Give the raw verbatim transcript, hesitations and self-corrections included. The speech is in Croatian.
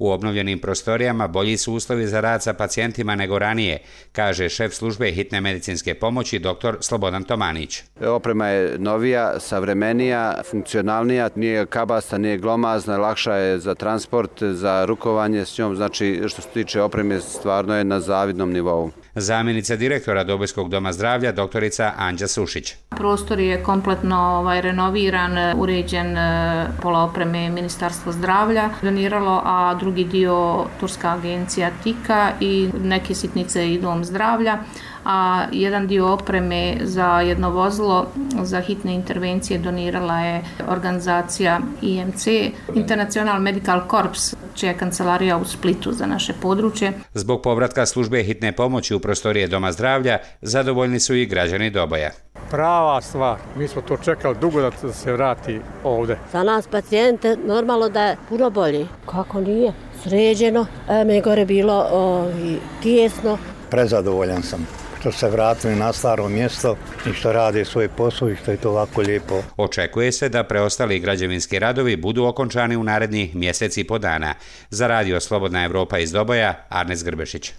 U obnovljenim prostorijama bolji su uslovi za rad sa pacijentima nego ranije, kaže šef službe hitne medicinske pomoći dr. Slobodan Tomanić. Oprema je novija, savremenija, funkcionalnija, nije kabasta, nije glomazna, lakša je za transport, za rukovanje s njom, znači što se tiče opreme stvarno je na zavidnom nivou. Zamjenica direktora Dobojskog doma zdravlja, doktorica Anđa Sušić. Prostor je kompletno ovaj, renoviran, uređen, pola opreme Ministarstvo zdravlja doniralo, a drugi dio Turska agencija Tika i neke sitnice i Dom zdravlja, a jedan dio opreme za jedno vozilo za hitne intervencije donirala je organizacija I M C, International Medical Corps, čija je kancelarija u Splitu za naše područje. Zbog povratka službe hitne pomoći u prostorije Doma zdravlja, zadovoljni su i građani Doboja. Prava stvar, mi smo to čekali dugo da se vrati ovde. Za nas pacijente normalno da je puno bolji. Kako nije? Sređeno, me gore bilo o, i tijesno. Prezadovoljan sam što se vratili na staro mjesto i što rade svoj posao i što je to ovako lijepo. Očekuje se da preostali građevinski radovi budu okončani u narednih mjeseci i po dana. Za radio Slobodna Evropa iz Doboja, Arnes Grbešić.